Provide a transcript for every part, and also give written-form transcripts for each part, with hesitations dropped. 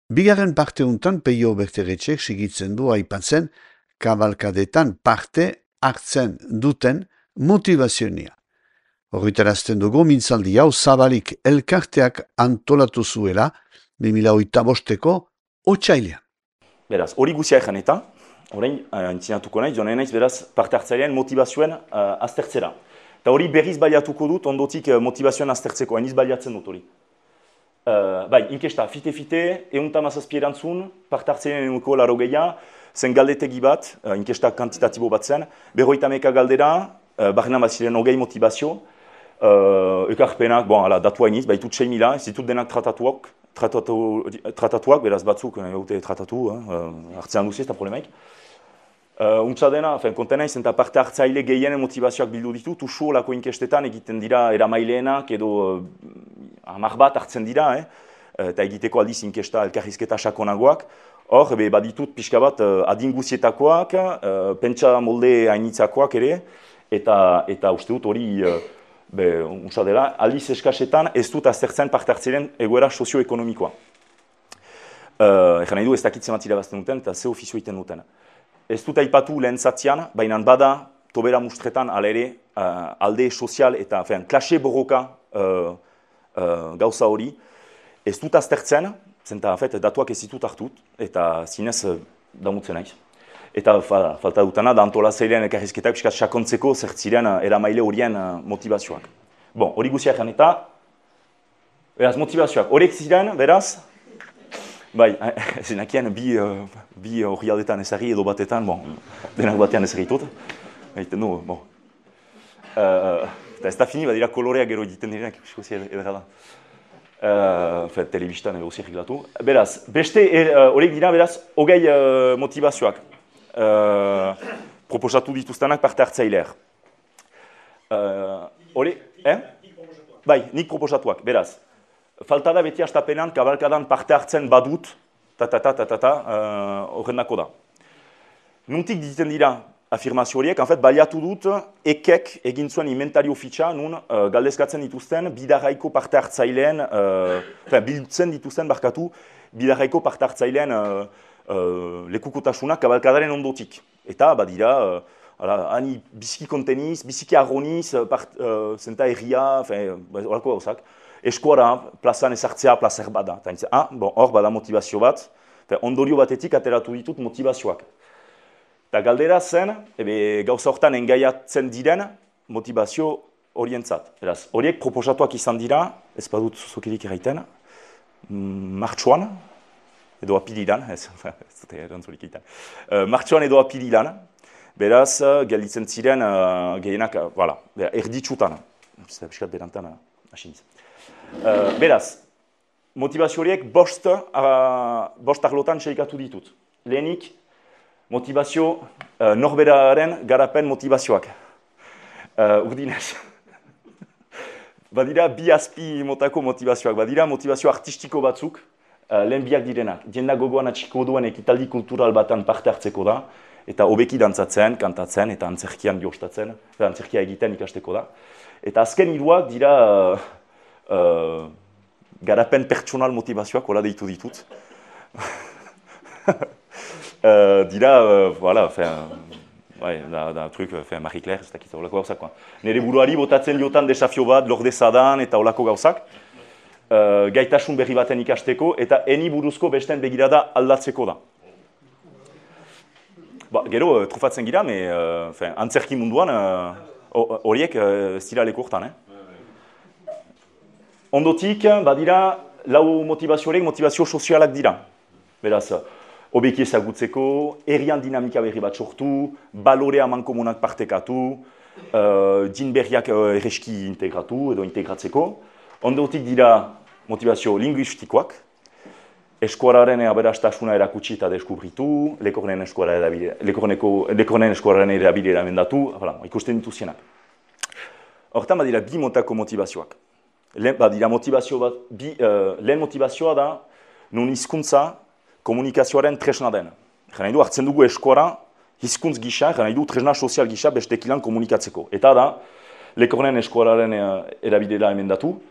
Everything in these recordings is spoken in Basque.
Bigarren parte untan Peio Berteretxek sigitzen du aipatzen kabalkadetan parte hartzen duten motivazionia. Horritarazten dugu mintzaldi hau zabalik elkarteak antolatu zuela 2008ko otsailean. Beraz, hori guzia egan eta, orain, entzinatuko naiz, joan naiz, beraz, parte hartzailean motivazioen aztertzera. Eta hori berriz baliatuko dut, ondotik motivazioen aztertzeko, hainiz baliatzen dut hori. Bai, inkesta, fite-fite, eunta mazazpi erantzun, parte hartzailean enuko laro gehiago, zen galdetegi bat, inkesta kantitatibo bat zen, 51 galdera, barrenan bat ziren hogei motivazio, ekarpenak, datu hainiz, baitut 6.000, ez ditut denak tratatuak, beraz batzuk, gaute tratatu, hartzean duzi, ez da problemaik. Untsa dena, konten naiz, eta parte hartzaile gehienen motivazioak bildu ditut, usu olako inkestetan egiten dira eramailenak edo 10 bat hartzen dira, eta egiteko aldiz inkesta elkarrizketa sakonagoak. Hor, baditut pixka bat adin guzietakoak, pentsa molde hainitzakoak ere, eta uste dut hori, untsa dela, aldiz eskasetan ez dut aztertzen parte hartzaileen egoera sozioekonomikoa. Egan nahi du ez dakitzen bat irabazten duten eta ze ofizio egiten duten. Ez dut aipatu lehen zatzian, baina bada tobera mustretan ala ere alde sozial eta klase borroka gauza hori. Ez dut aztertzen, zenta datuak ez ditut hartut eta zinez damutzen naiz. Eta falta dutana da antolazailean elkarrizketak piskat sakontzeko zertziren eramaile horien motivazioak. Bon, hori guzia egan eta, beraz, motivazioak. Horiek ziren, beraz, bai, zenakien bi hori aldetan ezagri edo batetan, denak batean ezagritut. Egiten du, eta ez da fini, badira koloreak gero egiten direnak, ikusi edera da. Telebistan edo zirrik datu. Beraz, beste horiek dira, beraz, hogei motivazioak. Proposatu dituztenak parte hartzaileak. Bai, nik proposatuak, beraz. Falta da beti hastapenan kabalkadan parte hartzen badut, horrendako da. Nuntik diten dira afirmazio horiek, baliatu dut ekek egin zuen inventario fitxa, nun galdezkatzen dituzten bidarraiko parte hartzaileen, biltzen dituzten barkatu, bidarraiko parte hartzaileen lekukotasunak kabalkadaren ondotik. Eta badira, hani biziki konteniz, biziki arroniz, zenta erria, horako gauzak. Eskuara, plazan ezartzea, plazer bada. Hor bada motivazio bat, ondorio batetik ateratu ditut motivazioak. Eta galdera zen, gauza hortan engaiatzen diren motivazio horientzat. Horiek proposatuak izan dira, ez badut zuzokirik erraiten, martxoan, edo apililan, ez dute erantzulik egiten. Martxoan edo apililan, beraz, gelditzen ziren gehienak, erditsutan, piskat berantan, asiniz. Beraz, motivazio horiek bost arlotan txeikatu ditut. Lehenik, motivazio norberaren garapen motivazioak. Urdinez. Badira bi azpi motako motivazioak, badira motivazio artistiko batzuk, lehen biak direnak. Jenda gogoan atxiko duen ekitaldi kultural batan parte hartzeko da, eta hobeki dantzatzen, kantatzen, eta antzerkian jostatzen, antzerkia egiten ikasteko da. Eta azken hiruak dira garapen pertsonal motivazioak, hola deitu ditut. Dira, da truk, Marie-Claire, ez dakit holako gauzak. Nire buruari botatzen diotan desafio bat, lordezadan eta holako gauzak. Gaitasun berri baten ikasteko eta eni buruzko besten begirada aldatzeko da. Gero, trufatzen gira, antzerki munduan horiek ez dira leku hortan. Ondotik, badira, lau motivazio horiek motivazio sozialak dira. Beraz, hobeki ezagutzeko, herrian dinamika berri bat sortu, balorea mankomunak partekatu, din berriak erreski integratu edo integratzeko. Ondotik dira motivazio linguistikoak, eskuararen aberastasuna erakutsi eta deskubritu, lekornen eskuararen erabilera emendatu, ikusten dituzienak. Hortan badira bi motako motivazioak. Lehen motivazioa da, non hizkuntza komunikazioaren tresna den. Gena du hartzen dugu eskuara, hizkuntz gisa, gena du tresna sozial gisa bestekilan komunikatzeko. Eta da, lekornen eskuararen erabilera emendatu,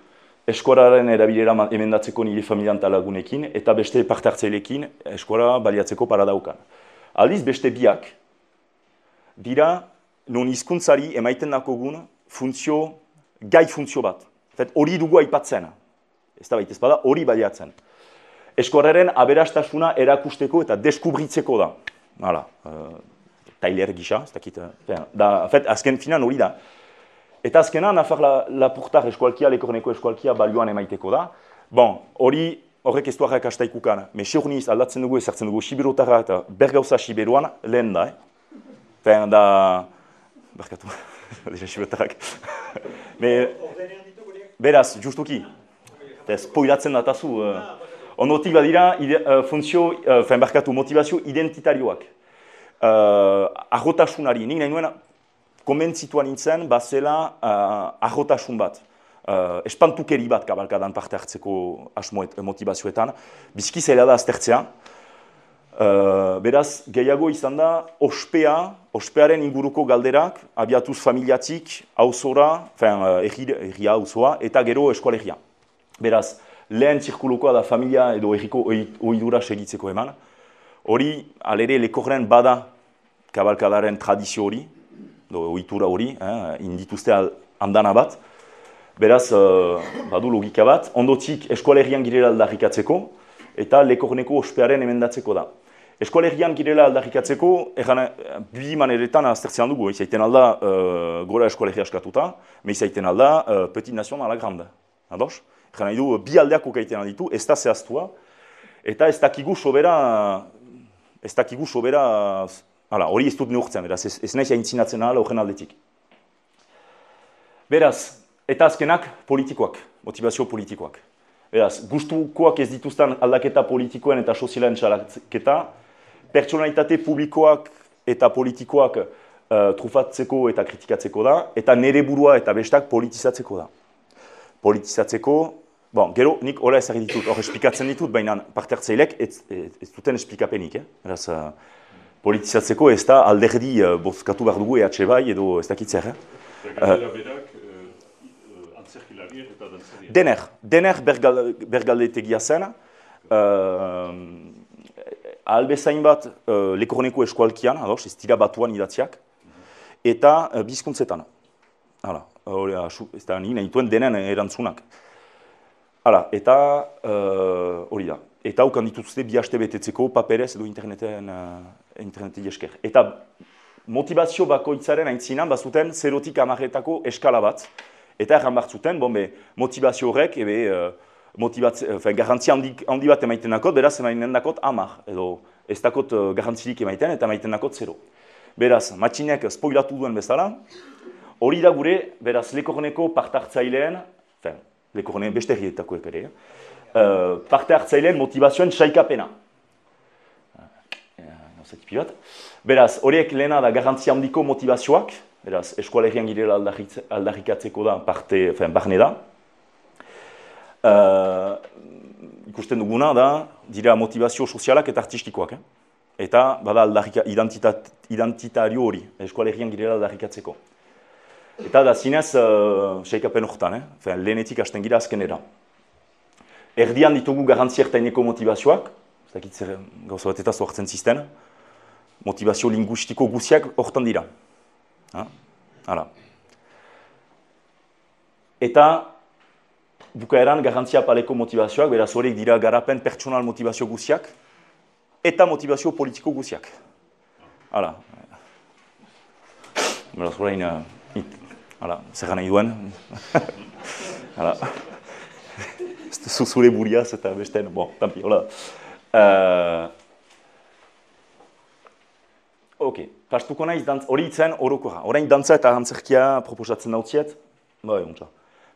eskuararen erabilera emendatzeko nire familian talagunekin, eta beste parte hartzailekin eskuara baliatzeko paradaukan. Aldiz, beste biak, dira, non hizkuntzari emaiten dakogun gai funtzio bat. Hori dugu aipatzen. Ez da baita ez bada, hori baliatzen. Eskuararen aberastasuna erakusteko eta deskubritzeko da. Hala, Tailer gisa, ez dakit. Azken finan hori da. Eta azkena, Nafar Lapurtar eskualkia, Lekorneko eskualkia balioan emaiteko da. Bon, horrek ez duarrak astaikukan. Me seurniz aldatzen dugu, ezartzen dugu Siberotara eta bergauza Siberuan lehen da. Da... Barkatu, deja Siberotarrak. Beraz, justuki. Spoilatzen datazu. Ondotik badira motivazio identitarioak. Arrotasunari, nik nahi nuen konbentzituan nintzen, bazela arrotasun bat. Espantukeri bat kabalkadan parte hartzeko motivazioetan. Bizki zaila da aztertzea. Beraz, gehiago izan da, ospearen inguruko galderak, abiatuz familiatik, auzora, erria auzoa, eta gero eskoalegia. Beraz, lehen zirkulukoa da familia edo erriko oidura segitzeko eman. Hori, alere, Lekorren bada kabalkadaren tradizio hori, ohitura hori, indituzte andana bat. Beraz, badu logika bat, ondotik eskualerian girela aldarrikatzeko, eta Lekorneko ospearen emendatzeko da. Eskualerian girela aldarrikatzeko, bi maneretan aztertzean dugu, izaiten alda gora eskualeria askatuta, me izaiten alda Petit Nation a la Grande. Ados? Egan nahi du, bi aldeako gaiten alditu, ez da zehaztua, eta ez dakigu sobera, hori ez dut neurtzen, beraz, ez nahiz aintzinatzen ahala horren aldetik. Beraz, eta azkenak politikoak, motivazio politikoak. Beraz, gustukoak ez dituzten aldaketa politikoen eta sozialen txalaketa, pertsonalitate publikoak eta politikoak trufatzeko eta kritikatzeko da, eta nere burua eta bestak politizatzeko da. Politizatzeko, gero nik hola ezagir ditut, hor esplikatzen ditut, baina parte hartzailek ez duten esplikapenik. Beraz, politizatzeko ez da alderdi bozkatu behar dugu EH bai edo ez dakitzer. Dener bergaldetegia zen, ahalbezain bat Lekorneko eskualkian, ez dira batuan idatziak, eta bizkuntzetan. Ez da nire nahituen denen erantzunak. Eta hori da. Eta haukan dituzte bi haste betetzeko paperez edo interneti esker. Eta motivazio bakoitzaren aintzinan bazuten 0-tik 10-etako eskala bat. Eta erran bartzuten, motivazio horrek, garantzia handi bat emaiten dakot, beraz emaiten dakot 10, edo ez dakot garantzirik emaiten eta emaiten dakot 0. Beraz, matxinek spoilatu duen bezala, hori da gure, beraz, Lekorneko parte hartzaileen, Lekorne beste herrietakoek ere, parte hartzaileen motivazioen saikapena. Beraz, horiek lehena da garantzia handiko motivazioak, beraz, eskualerian girela aldarrikatzeko da barne da. Ikusten duguna da, dira motivazio sozialak eta artistikoak. Eta bada identitario hori, eskualerian girela aldarrikatzeko. Eta da zinez, saikapen horretan, lehenetik hasten gira azkenera. Erdian ditugu garantzia ertaineko motivazioak, ez dakit zer gauza bat eta zoartzen zisten, motivazio linguistiko guziak horretan dira. Eta bukaeran garantzia paleko motivazioak, beraz horiek dira garapen pertsonal motivazio guziak, eta motivazio politiko guziak. Beraz horrein, zer nahi duen. Zuzure buriaz eta besten, tampi, hola. Pastuko naiz, hori itzen horokora. Horain dantza eta antzerkia proposatzen dautziet.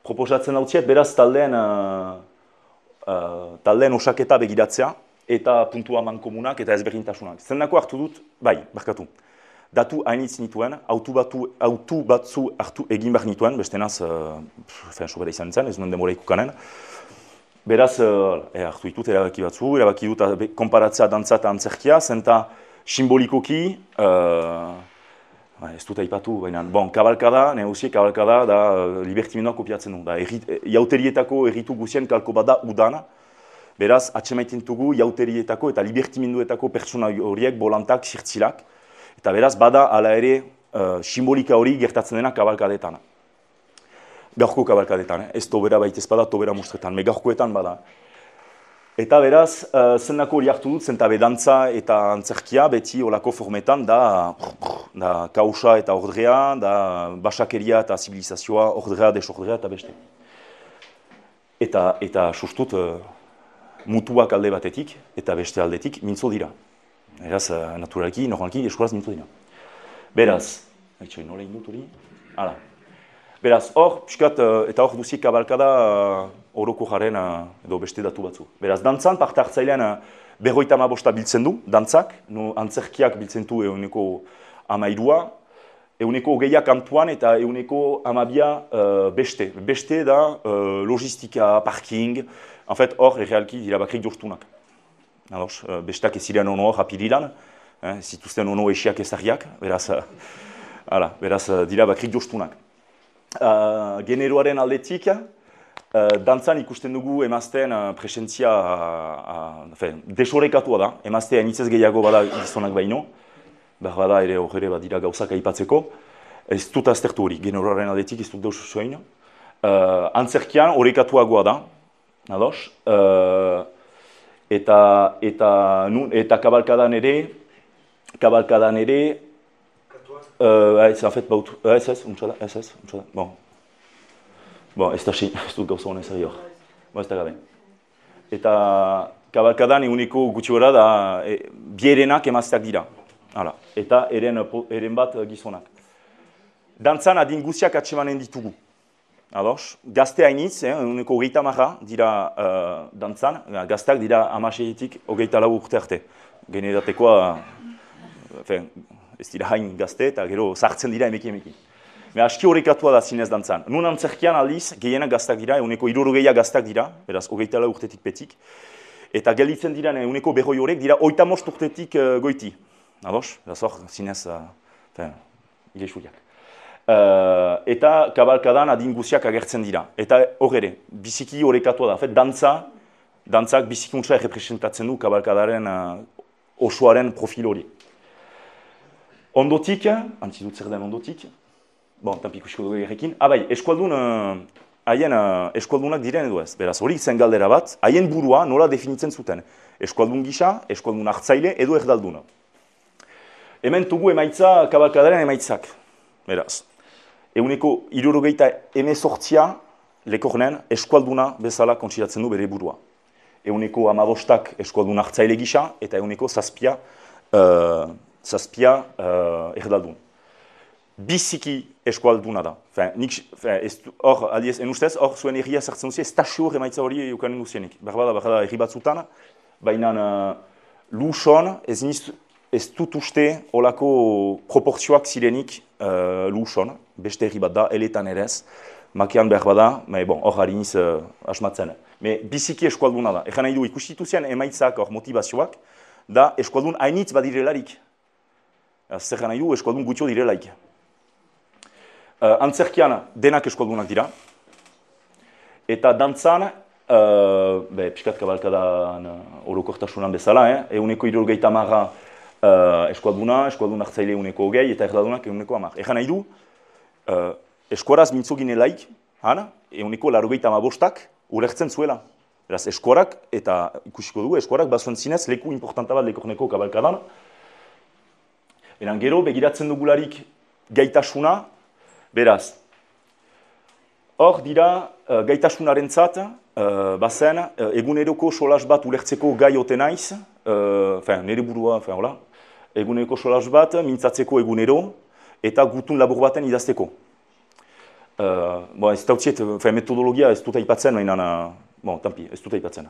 Proposatzen dautziet, beraz taldeen osaketa begiratzea eta puntua mankomunak eta ezberdintasunak. Zendako hartu dut, barkatu. Datu hainitz nituen, autu batzu hartu egin behar nituen, bestenaz, sobera izan nintzen, ez nuen demora ikukanen. Beraz, hartu ditut erabaki batzu, erabaki dut konparatzea dantza eta antzerkia, zenta simbolikoki, Ez dut aipatu, baina, kabalkada, negozie kabalkada da libertimendua kopiatzen du. Jauterietako erritu guzien kalko bat da udana, beraz, atxemaiten dugu jauterietako eta libertimenduetako pertsona horiek, bolantak, zirtzilak, eta beraz, bada ala ere simbolika hori gertatzen dena kabalkadetan. Gaurko kabalkadetan, ez tobera baita ez bada, tobera mustretan, me gaurkoetan bada. Eta beraz, zendako hori hartu dut, zentabe dantza eta antzerkia beti olako formetan da kausa eta ordrea, da basakeria eta zibilizazioa, ordrea, desordrea eta beste. Eta sustut mutuak alde batetik eta beste aldetik mintzo dira. Beraz, naturalki, normalki, eskolaz mintzo dira. Beraz, nola indut hori? Hala. Beraz, hor, piskat, eta hor duzik kabalkada oroko jaren edo beste datu batzu. Beraz, dantzan, parte hartzailean 55 biltzen du, dantzak, antzerkiak biltzen du euneko 13, euneko 20 kantuan eta euneko 12 beste. Beste da logistika, parking, en fait, hor, errealki dira bakrik joztunak. Bestak ez ziren ono hor apirilan, zituzten ono esiak ezarriak, beraz, dira bakrik joztunak. Generoaren aldetik, dantzan ikusten dugu emazten presentzia desorekatua da. Emazte hainitzez gehiago bada gizonak baino, behar bada ere horre bat dira gauzak aipatzeko. Ez dut aztertu hori, generoaren aldetik ez dut deus zoin. Antzerkian orekatuagoa da, ados? Eta kabalkadan ere, en fait, ez, ez da xin, ez dut gauza honen zari hor. Ez da gabe. Eta kabalkadan eguneko gutxi gora da bierenak emazteak dira. Eta eren bat gizonak. Dantzan adin guziak atsemanen ditugu. Gazte hainitz, eguneko 30 dira dantzan, gazteak dira 16-24 urte arte. Generatekoa, ez dira hain gazte eta gero sartzen dira emeki. Aski horrekatua da zinez dantzan. Nun antzerkian aldiz, gehienak gaztak dira, eguneko 60 gaztak dira, beraz, 24 urtetik petik. Eta gelditzen dira eguneko 40 horrek dira 35 urtetik goiti. Ados? Beraz hor, zinez, ilexuriak. Eta kabalkadan adin guziak agertzen dira. Eta hor ere, biziki horrekatua da. Dantzak bizikuntza errepresentatzen du kabalkadaren osoaren profil hori. Ondotik, antzidut zer den ondotik, tanpi ikusiko dugu egerekin, eskualdun, haien eskualdunak diren edo ez. Beraz, hori zen galdera bat, haien burua nola definitzen zuten. Eskualdun gisa, eskualdun hartzaile edo erdalduna. Hemen tugu emaitza kabalkadaren emaitzak. Beraz, eguneko 78 lekornen eskualduna bezala kontsiratzen du bere burua. Eguneko 15 eskualdun hartzaile gisa eta eguneko 7 erdaldun. Biziki eskualduna da. Hor, aldiez, enustez, hor zuen erria sartzen duzien, ez tasio emaitza hori eukanen duzienik. Berbada erri batzutan, baina luson ez dut uste olako proportzioak zirenik luson, beste erri bat da, eletan erez, makean berbada, hor hariniz asmatzen. Biziki eskualduna da. Egan nahi du ikustituzien emaitzak hor motivazioak, da eskualdun hainitz badirelarik. Zer nahi du eskualdun gutxo direlaik. Antzerkian denak eskualdunak dira. Eta dantzan, piskat kabalkadan orokortasunan bezala, eguneko 70 eskualdun hartzaile eguneko 20 eta erdaldunak eguneko 10. Egan nahi du, eskuaraz mintzo ginelaik, eguneko 85 ulertzen zuela. Beraz, eskuarak, eta ikusiko dugu, eskuarak bazuen zinez leku importanta bat lekorneko kabalkadan. Beran gero, begiratzen dugularik gaitasuna, beraz, hor dira gaitasunarentzat, bazen, eguneroko solas bat ulertzeko gai ote naiz, nire burua, eguneroko solas bat mintzatzeko egunero, eta gutun labur baten idazteko. Ez dautziet, metodologia ez dut aipatzen, tanpi, ez dut aipatzen.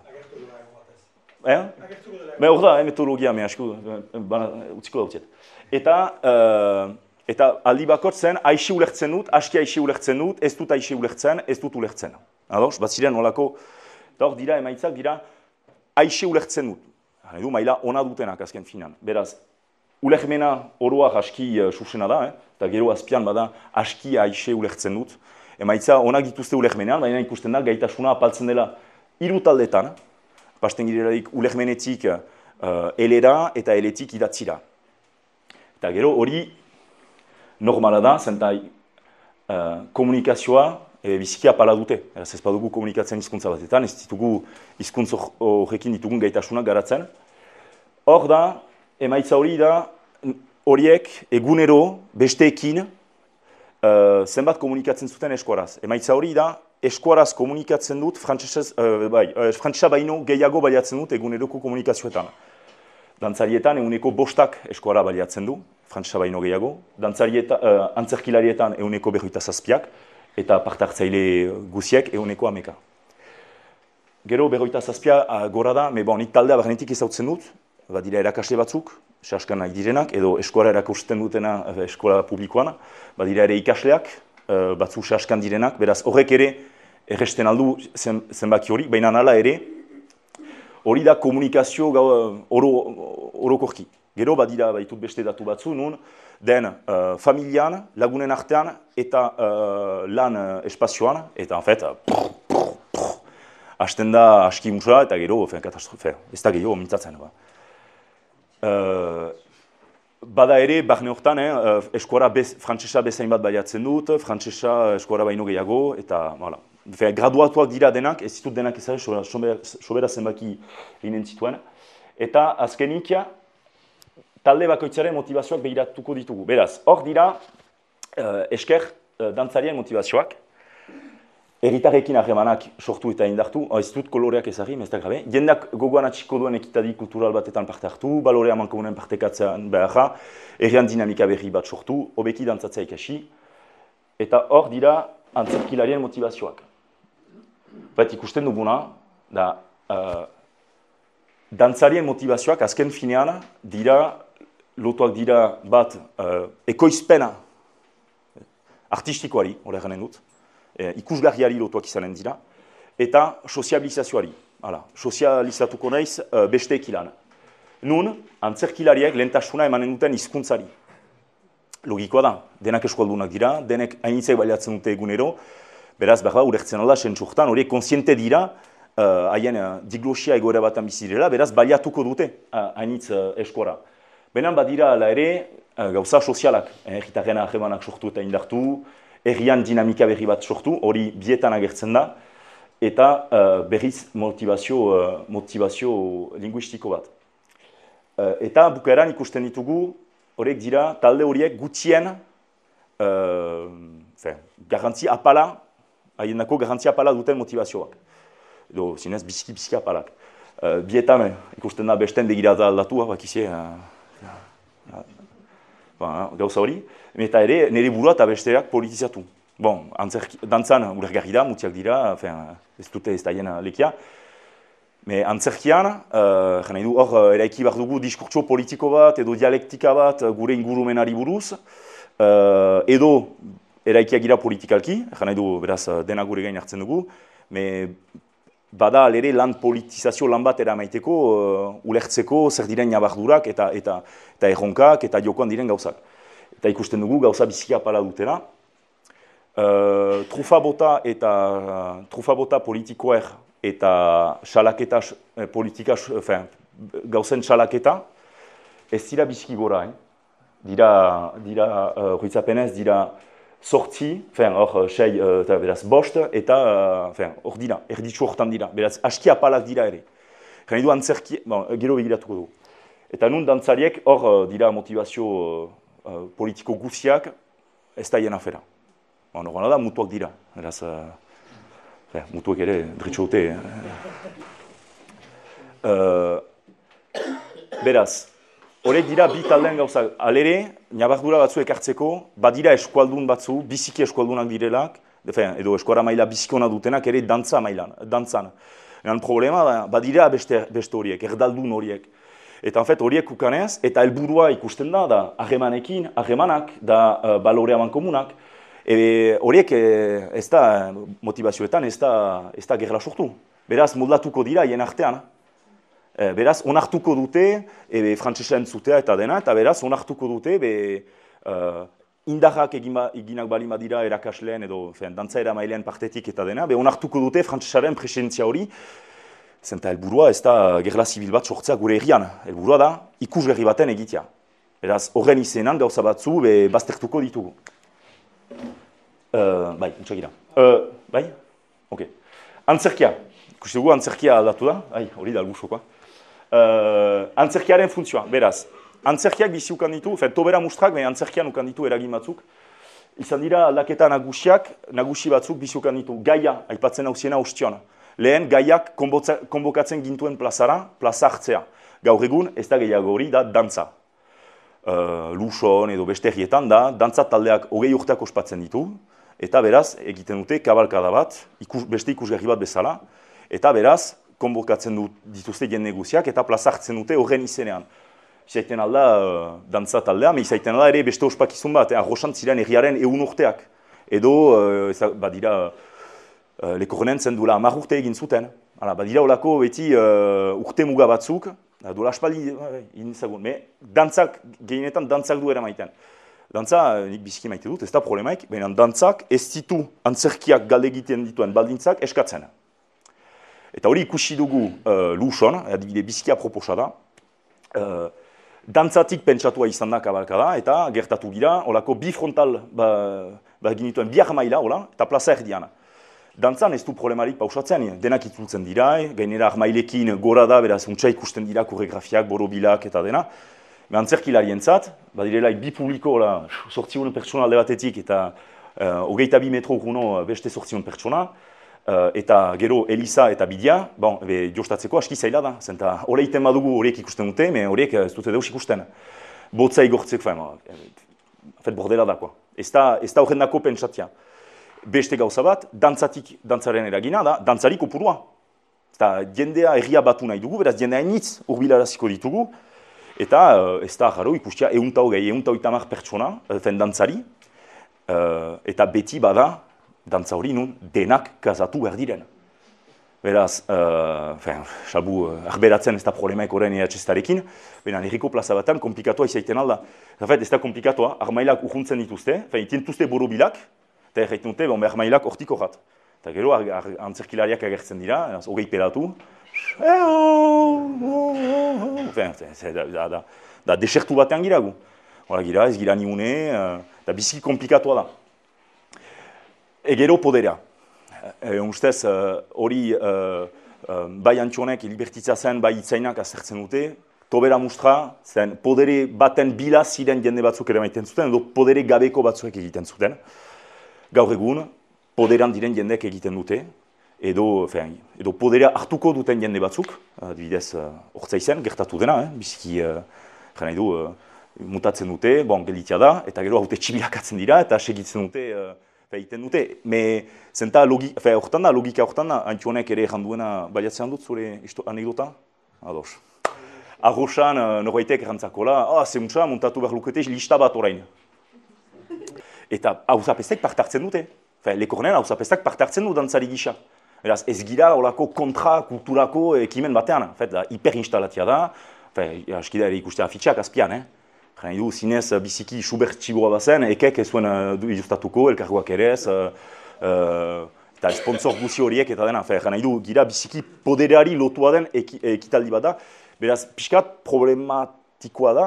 Hor da, metodologia, utziko dautziet. Eta aldi bakotzen, aixi ulertzen dut, aski aixi ulertzen dut, ez dut aixi ulertzen, ez dut ulertzen. Ados, bat ziren olako, eta hor dira emaitzak dira, aixi ulertzen dut. Maila ona dutenak azken finan. Beraz, ulermena oroak aski susena da, eta gero azpian bada aski aixe ulertzen dut. Emaitza onak dituzte ulermenean, baina ikusten da gaitasuna apaltzen dela 3 taldetan, pasten girelarik ulermenetik elera eta eletik idatzira. Eta gero hori normala da, zentai komunikazioa biziki apala dute. Ez badugu komunikatzen hizkuntza batetan, ez ditugu hizkuntza horrekin ditugun gaitasunak garatzen. Hor da, emaitza hori da, horiek egunero besteekin zenbat komunikatzen zuten eskuaraz. Emaitza hori da, eskuaraz komunikatzen dut, frantsesa baino gehiago baliatzen dut eguneroko komunikazioetan. Dantzarietan eguneko 5 eskuara baliatzen du, frantsesa baino gehiago. Antzerkilarietan eguneko 27, eta parte-hartzaile guziek eguneko 10. Gero 27 gora da, nik taldea barnetik ezautzen dut, badira erakasle batzuk, saskan nahi direnak, edo eskola erakusten dutena eskola publikoan, badira ere ikasleak, batzu saskan direnak, beraz horrek ere erresten aldu zenbaki hori, baina hala ere, hori da komunikazio orokorki. Gero badira baitut beste datu batzu, nun den familian, lagunen artean eta lan espazioan, eta en fait, hasten da aski musa eta gero katastrofe, ez da gehiago mintzatzen. Bada ere, barne hortan, eskuara frantsesa bezain bat baliatzen dut, frantsesa eskuara baino gehiago, eta graduatuak dira denak, ez ditut denak ezare, sobera zenbaki ginen zituen. Eta azkenik, talde bakoitzaren motivazioak behiratuko ditugu. Beraz, hor dira esker dantzarien motivazioak, herritarrekin harremanak sortu eta indartu, ez dut koloreak ezagri, ez da grabe. Jendak gogoan atxiko duen ekitadi kultural batetan parte hartu, balorea mankomunen partekatzean beharra, herrian dinamika berri bat sortu, hobeki dantzatzea ikasi, eta hor dira antzerkilarien motivazioak. Bat ikusten duguna, da dantzarien motivazioak azken finean dira, lotuak dira bat ekoizpena artistikoari, hori garen dut, ikusgarriari lotuak izanen dira, eta sozializazioari. Sozializatuko naiz beste ekilan. Nun, antzerkilariek lehentasuna emanen duten hizkuntzari. Logikoa da, denak eskualdunak dira, denek hainitzek baliatzen dute egunero, beraz, behar da, urertzen alda, sentsurtan, horiek konsiente dira, haien diglosia egoera batan bizirela, beraz, baliatuko dute hainitz eskuara. Benan badira ala ere, gauza sozialak, herritarren harremanak sortu eta indartu, herrian dinamika berri bat sortu, hori bietan agertzen da, eta berriz motivazio linguistiko bat. Eta bukaeran ikusten ditugu, horiek dira, talde horiek gutxien garrantzi apala, haiendako garrantzi apala duten motivazioak. Edo, zinez, biziki apalak. Bietan ikusten da besten begirata aldatu, bakizie, gauza hori, eta ere nire burua eta besteak politizatu. Dantzan ulergarri da, mutiak dira, ez dute ez daien lekia. Antzerkian, jena du hor eraiki behar dugu diskurtso politiko bat edo dialektika bat gure ingurumenari buruz, edo eraikiak gira politikalki, jena du beraz dena gure gain hartzen dugu, bada alere lan politizazio lan bat eramaiteko, ulertzeko zer diren nabardurak eta erronkak eta jokoan diren gauzak. Eta ikusten dugu gauza biziki apala dutena. Trufa bota politikoer eta salaketa politika, gauzen salaketa, ez dira biziki gora. Ruitzapenez dira sortzi, hor 6, beraz bost, eta hor dira, erditzu hortan dira, beraz aski apalak dira ere. Gane du antzerki, gero begiratuko dugu. Eta nun dantzariek hor dira motivazio politiko guziak, ez da hien afera. Norena da, mutuak dira, beraz, mutuak ere, dritxo dute. Beraz, horrek dira bi taldean gauzak. Alere, nabardura batzu ekartzeko, badira eskualdun batzu, biziki eskualdunak direlak, edo eskuara maila bizikona dutenak ere dantzan. Problema, badira beste horiek, erdaldun horiek. Eta horiek ukanez, eta helburua ikusten da harremanak, da balorea mankomunak. Horiek ez da motivazioetan, ez da gerla sortu. Beraz, moldatuko dira hien artean. Beraz, onartuko dute, frantsesa entzutea eta dena, eta beraz, onartuko dute, indarrak eginak balima dira erakasleen edo dantza eramailean partetik eta dena, onartuko dute frantsesaren presentzia hori, zenta helburua ez da gerla zibil bat sortzea gure herrian, helburua da ikusgarri baten egitea. Beraz, horren izenan gauza batzu baztertuko ditugu. Bai, entzagira. Bai? Ok. Antzerkia. Ikusi dugu antzerkia aldatu da? Hori da algusokoa. Antzerkiaren funtzioa, beraz. Antzerkiak bizi ukan ditu, tobera mustrak, antzerkian ukan ditu eragin batzuk. Izan dira aldaketa nagusi batzuk bizi ukan ditu. Gaia, aipatzen hausiena ostion. Lehen, gaiak konbokatzen gintuen plazara, plaza hartzea. Gaur egun, ez da gehiago hori, da dantza. Luson edo beste herrietan da, dantza taldeak 20 urteak ospatzen ditu, eta beraz, egiten dute kabalkada bat, beste ikusgarri bat bezala, eta beraz, konbokatzen dituzte jende guziak, eta plaza hartzen dute horren izenean. Izaiten alda dantza taldea, izaiten alda ere beste ospakizun bat, arrosan ziren herriaren 100 urteak. Edo, badira, Lekornen zen duela 10 urte egin zuten. Badira olako beti urte muga batzuk, duela aspaldi egin zagun. Dantzak, gehienetan dantzak du eramaiten. Dantza, nik biziki maite dut, ez da problemaik, baina dantzak ez ditu antzerkiak galde egiten dituen baldintzak eskatzen. Eta hori ikusi dugu Luson, adibide biziki aproposa da, dantzatik pentsatua izan da kabalkada, eta gertatu gira, olako bi frontal ginituen bi armaila, eta plaza erdian. Dantzan ez du problemarik pausatzen, denak itzultzen dira, gainera armailekin gora da, beraz untsa ikusten dira koreografiak, borobilak eta dena. Antzerkilarientzat, badirela bi publiko, 800 pertsona alde batetik eta 22 metro guno beste 800 pertsona, eta gero Eliza eta Bidia, jostatzeko aski zaila da, zenta horreiten badugu horiek ikusten dute, horiek ez dute deus ikusten. Botza igortzeko, bordela dakoa. Ez da horren dako pentsatzea. Beste gauza bat, dantzaren eragina da, dantzari kopurua. Jendea erria batu nahi dugu, beraz jendea initz urbilaraziko ditugu, eta ez da jaro ikustia 120 pertsona, dantzari, eta beti bada, dantza hori nun denak kazatu behar diren. Beraz, salbu arberatzen ez da problemaik horren EHZ-tarekin, baina herriko plaza batan komplikatua izaiten alda. Ez da komplikatoa, armailak urruntzen dituzte, itintuzte borobilak, eta erraiten dute, armailak hortiko rat. Eta gero, antzerkilariak agertzen dira, hogei pedatu, da desertu batean giragu. Hora gira, ez gira niune, da biziki komplikatoa da. Egero poderea. Ustez, hori bai Antxonek libertitza zen, bai itzainak azertzen dute, tobera mustra, zen podere baten bila ziren jende batzuk ere maiten zuten, edo podere gabeko batzuek egiten zuten. Gaur egun, poderan diren jendeek egiten dute, edo poderea hartuko duten jende batzuk, adibidez, hortza izen, gertatu dena, biziki, jena edo, mutatzen dute, gelitia da, eta gero haute txibilakatzen dira, eta segitzen dute, egiten dute. Zenta logika horretan da, Antxonek ere janduena baliatzen dut, zure anekdota? Ados. Arrosan, norbaitek erantzakola, zemuntza, montatu behar lukete, lista bat orain. Eta hauzapestek parte hartzen dute. Lekornen hauzapestek parte hartzen du dantzari gisa. Beraz, ez gira olako kontra kulturako ekimen batean. Hiperinstalatia da, askida ere ikustea afitxak azpian. Jena du, zinez, biziki Schubert txiboa bazen, ekek ez zuen ilustatuko, elkargoak ere ez, eta sponsor guzi horiek eta dena. Jena du, gira biziki podereari lotua den ekitaldi bat da. Beraz, pixkat problematikoa da,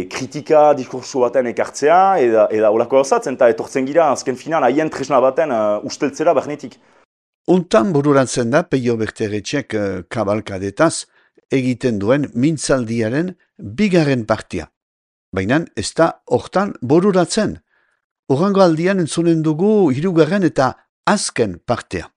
kritika diskurso baten ekartzea, eta olako hauzatzen, eta etortzen gira, azken finan, haien tresna baten usteltzera behnetik. Untan bururatzen da Peio Berteretxek kabalkadetaz egiten duen mintzaldiaren bigarren partia. Baina ez da hortan bururatzen. Urrango aldian entzunen dugu hirugarren eta azken partea.